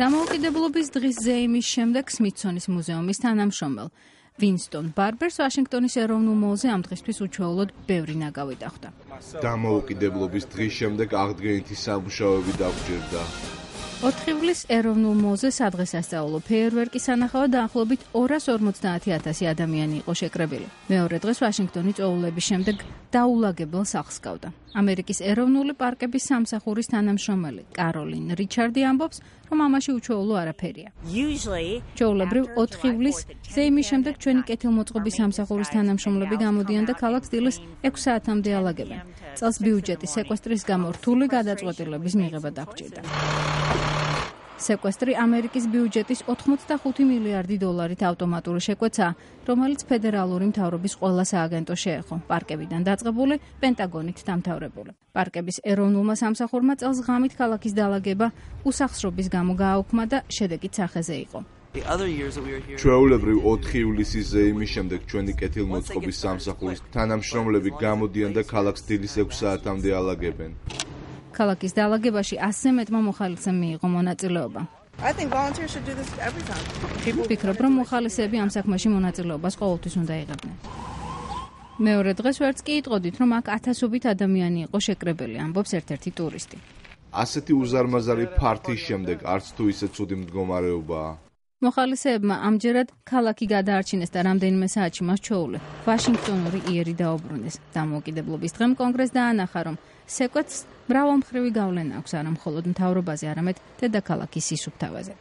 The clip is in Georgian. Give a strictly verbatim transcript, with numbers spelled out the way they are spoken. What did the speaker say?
დამოუკიდებლობის დღის ზეიმის შემდეგ სმითსონის მუზეუმის თანამშრომელ ვინსტონ ბარბერს ვაშინგტონის ეროვნულ მოლზე ამ დღისთვის უჩვეულოდ ბევრი ნაგავი დახვდა. დამოუკიდებლობის დღის შემდეგ აღდგენითი სამუშაოები დაგვჭირდა. ოთხი ივლის ეროვნულ მოლზე სადღესასწაულო ფეიერვერკის სანახავად დაახლოებით ორას ორმოცდაათი ათასი ადამიანი იყო შეკრებილი. მეორე დღეს ვაშინგტონი წვეულების შემდეგ დაულაგებელ სახლს გავდა. ამერიკის ეროვნული პარკების სამსახურის თანამშრომელი კაროლინ რიჩარდი ამბობს, რომ ამაში უჩვეულო არაფერია. ჩვეულებრივ ოთხი ივლის ზეიმის შემდეგ ჩვენი კეთილმოწყობის სამსახურის თანამშრომლები გამოდიან და ქალაქს დილის ექვს საათამდე ალაგებენ. წელს ბიუჯეტის სეკვესტრის გამო რთული გადაწყვეტილების მიღება დაგვჭირდა. სეკვესტრი ამერიკის ბიუჯეტის ოთხმოცდახუთი მილიარდი დოლარით ავტომატური შეკვეცაა, რომელიც ფედერალური მთავრობის ყველა სააგენტო შეეხო, პარკებიდან დაწყებული, პენტაგონით დამთავრებული. პარკების ეროვნულმა სამსახურმა წელს ღამით ქალაქის დაალაგება უსახსრობის გამო გააუქმა და შედეგით სახეზე იყო. ჩვეულებრივ ოთხი ივლისის ზეიმის შემდეგ ჩვენი კეთილმოწყობის სამსახურის თანამშრომლები გამოდიან და ქალაქს დილის ექვს საათამდე ალაგებენ. ქალაქის დაალაგებაში ასზე მეტმა მოხალისემ მიიღო მონაწილეობა. ვფიქრობ, რომ მოხალისეები ამ საქმეში მონაწილეობას ყოველთვის უნდა იღებდნენ. მეორე დღეს ვერც კი იტყოდით, რომ აქ ათასობით ადამიანი იყო შეკრებილი, ამბობს ერთ-ერთი ტურისტი. ასეთი უზარმაზარი ფართის შემდეგ არც თუ ისე ცუდი მდგომარეობაა. მოხალისეებმა ამჯერად ქალაქი გადაარჩინეს და რამდენიმე საათში მას ჩვეულე ვაშინგტონური იერი დაუბრუნეს. დამოუკიდებლობის დღემ კონგრესს დაანახა, რომ სეკვეთს მრავალმხრივი გავლენა აქვს არა მხოლოდ მთავრობაზე, არამედ დედაქალაქის სისუფთავეზეც.